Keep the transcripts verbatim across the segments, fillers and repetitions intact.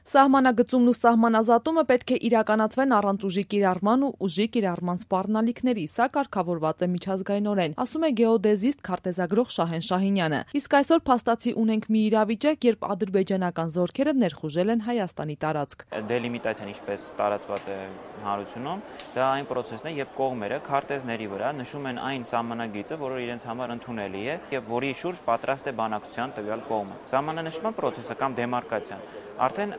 Սահմանագծումն ու սահմանազատումը պետք է իրականացվեն առանց ուժի կիրառման ու ուժի կիրառման սպառնալիքների, սա կարգավորված է միջազգայինորեն, ասում է գեոդեզիստ քարտեզագրող Շահեն Շահինյանը։ Իսկ այսօր փաստացի ունենք մի իրավիճակ, երբ ադրբեջանական զորքերը ներխուժել են Հայաստանի տարածք։ Դելիմիտացիան ինչպես տարածված է հանրությունում, դա այն պրոցեսն է, երբ կողմերը քարտեզների վրա նշում են այն սահմանագիծը, որը իրենց համար ընդունելի է եւ որի շուրջ պատրաստ է բանակցության տվյալ կողմը։ Սահմանանշման պրոցեսը կամ դեմարկացիան արդեն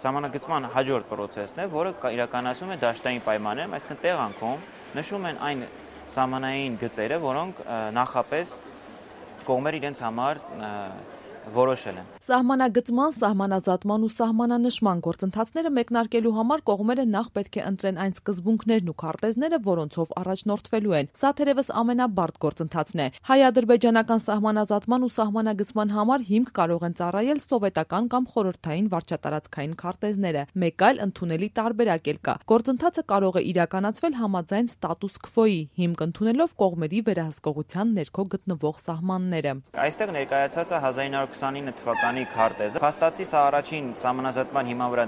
սահմանագծման հաջորդ պրոցեսն է, որը իրականացվում է դաշտային պայմաններում, այսինքն տեղանքում նշում են այն սահմանային գծերը, որոնք նախապես կողմերը իրենց համար որոշել են։ Սահմանագծման, սահմանազատման ու սահմանանշման գործընթացները մեկնարկելու համար կողմերը նախ պետք է ընտրեն այն սկզբունքներն ու քարտեզները, որոնցով առաջնորդվելու են։ Սա թերևս ամենաբարդ գործընթացն է։ Հայ-ադրբեջանական սահմանազատման ու սահմանագծման համար հիմք կարող են ծառայել սովետական կամ խորհրդային վարչատարածքային քարտեզները։ Մեկ այլ ընդունելի տարբերակ էլ կա։ Գործընթացը կարող է իրականացվել համաձայն ստատուս քվոյի, հիմք ընդունելով կողմերի վերահսկողության ներքո գտնվող սահմանները։ Այստեղ ներկայացած է հազար ինը հարյուր քսանինը թվականի քարտեզը։ Փաստացի սա առաջին սահմանազատման հիման վրա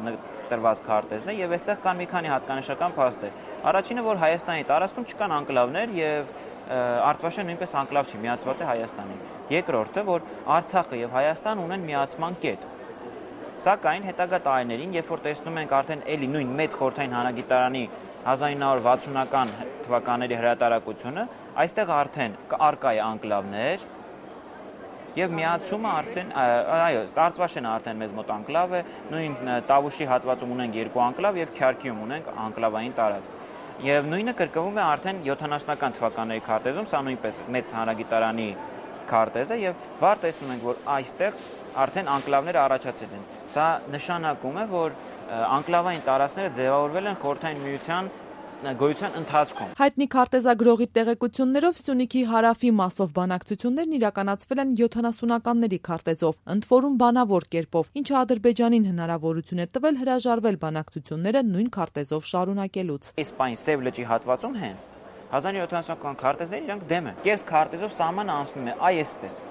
տրված քարտեզն է եւ այստեղ կան մի քանի հատկանշական փաստեր։ Առաջինը, որ Հայաստանի տարածքում չկան անկլավներ եւ Արտվաշեն նույնպես անկլավ չի, միացված է Հայաստանին։ Երկրորդը, որ Արցախը եւ Հայաստան ունեն միացման կետ։ Սակայն հետագա տարիներին, երբ որ տեսնում ենք արդեն էլի նույն մեծ խորհրդային հանրագիտարանի հազար ինը հարյուր վաթսունական թվականների հրատարակությունը, այստեղ արդեն արկա է անկլավներ եւ միացումը արդեն այո, Արցվաշենը արդեն մեզ մոտ անկլավ է, նույն Տավուշի հատվածում ունենք երկու անկլավ եւ Քյարքիում ունենք անկլավային տարածք։ Եվ նույնը կրկնվում է արդեն յոթանասունական թվականների քարտեզում, սա նույնպես մեծ հանրագիտարանի քարտեզ է եւ վառ տեսնում ենք, որ այստեղ արդեն անկլավները առաջացել են։ Սա նշանակում է, որ անկլավային տարածքները ձևավորվել են խորհրդային միության գոյության ընթացքում։ Հայտնի քարտեզագրողի տեղեկություններով Սյունիքի հարավի մասով բանակցություններն իրականացվել են յոթանասունականների քարտեզով, ընդ որում բանավոր կերպով, ինչը Ադրբեջանին հնարավորություն է տվել հրաժարվել բանակցությունները նույն քարտեզով շարունակելուց։ Իսպայն Սև լճի հատվածում հենց հազար ինը հարյուր յոթանասունական քարտեզները իրանք դեմ են։ Կես քարտեզով սահմանը անցնում է այսպես։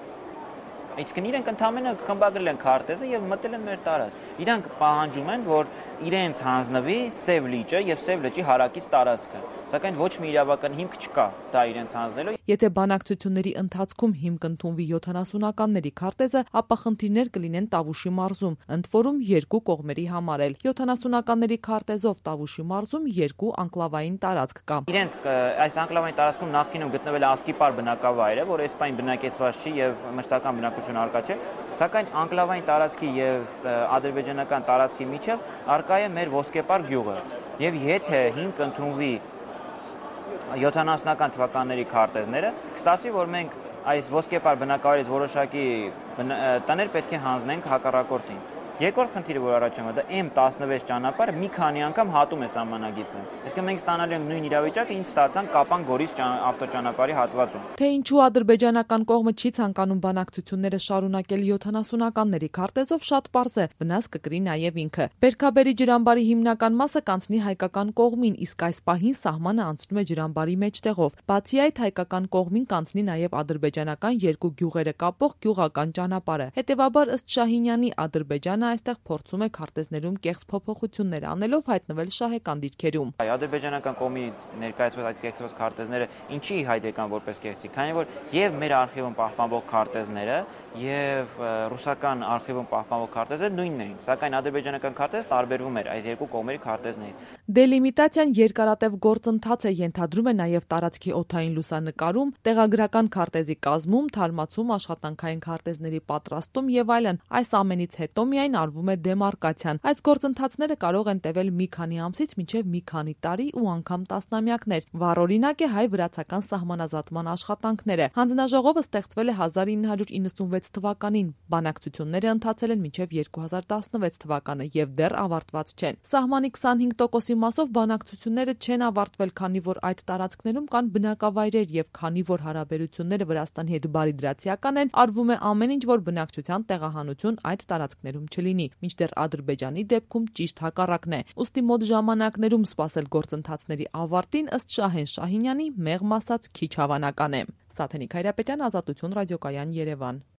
Այսինքն իրենք ընդհանրապես խմբագրել են քարտեզը եւ մտել են մեր տարածք։ Իրանք պահանջում են, որ իրենց հանձնվի Սև լիճը եւ Սև լճի հարակից տարածքը, սակայն ոչ մի իրավական հիմք չկա դա իրենց հանձնելու։ Եթե բանակցությունների ընթացքում հիմք ընդունվի յոթանասունականների քարտեզը, ապա խնդիրներ կլինեն Տավուշի մարզում, ընդ որում երկու կողմերի համար էլ։ յոթանասունականների քարտեզով Տավուշի մարզում երկու անկլավային տարածք կա։ Իրենց այս անկլավային տարածքում նախկինում գտնվել է Ասկիպար բնակավայրը, որը այսպայն բնակեցված չի եւ մշտական բնակություն արկա չէ, սակայն անկլավային տարածքի եւ ադրբեջանական տարածքի միջև արկա է մեր Ոսկեպար գյուղը։ Եվ եթե հիմք ընդունվի յոթանասունական թվականների քարտեզները, կստացվի, որ մենք այս Ոսկեպար բնակավայրից որոշակի տներ պետք է հանձնենք հակառակորդին։ Երկրորդ խնդիրը, որ առաջանում է, դա էմ տասնվեց ճանապարհը մի քանի անգամ հատում է սահմանագիծը։ Այսինքն մենք ստանալու ենք նույն իրավիճակը, ինչ ստացանք Կապան-Գորիս ավտոճանապարհի հատվածում։ Թե ինչու ադրբեջանական կողմը չի ցանկանում բանակցությունները շարունակել յոթանասունականների քարտեզով, շատ պարզ է, վնաս կկրի նաև ինքը։ Բերքաբերի ջրամբարի հիմնական մասը կանցնի հայկական կողմին, իսկ այս պահին սահմանը անցնում է ջրամբարի մեջտեղով։ Բացի այդ, հայկական կողմին կանցնի նաև ադրբեջանական երկու գյուղերը կապող գյուղական ճանապարհը։ Հետևաբար, ըստ Շահինյանի, Ադրբեջանը այստեղ փորձում է քարտեզներում կեղծ փոփոխություններ անելով հայտնվել շահեկան դիրքերում։ Ադրբեջանական կողմից ներկայացված այդ կեղծված քարտեզները ինչի հայտ եկան որպես կեղծիք, քանի որ եւ մեր արխիվում պահպանվող քարտեզները եւ ռուսական արխիվում պահպանվող քարտեզները նույնն էին, սակայն ադրբեջանական քարտեզը տարբերվում էր այս երկու կողմերի քարտեզներից։ Դելիմիտացիան երկարատև գործընթաց է, ենթադրում է նաև տարածքի օդային լուսանկարում, տեղագրական քարտեզի կազմում, թարմացում, աշխատանքային քարտեզների պատրաստում եւ այլն։ Այս ամենից հետո միայն արվում է դեմարկացիան։ Այս գործընթացները կարող են տևել մի քանի ամսից մինչև մի քանի տարի ու անգամ տասնամյակներ։ Վառօրինակ է հայ-վրացական սահմանազատման աշխատանքները։ Հանձնաժողովը ստեղծվել է հազար ինը հարյուր իննսունվեց թվականին։ Բանակցությունները ընթացել են մինչև երկու հազար տասնվեց թվականը եւ դեռ ավարտված չեն։ Սահմանի քսանհինգ տոկոսի մասով բանակցությունները չեն ավարտվել, քանի որ այդ տարածքներում կան բնակավայրեր եւ քանի որ հարաբերությունները Վրաստանի հետ բարիդրացիական են, արվում է ամեն ինչ, որ բնակչության տեղահանություն այդ տարածքներում չլինի, մինչդեռ Ադրբեջանի դեպքում ճիշտ հակառակն է։ Ուստի մոտ ժամանակներում սպասել գործընթացների ավարտին, ըստ Շահեն Շահինյանի, մեղմ ասած քիչ հավանական է։ Սաթենիկ Հայրապետյան, Ազատություն ռադիոկայան, Երևան։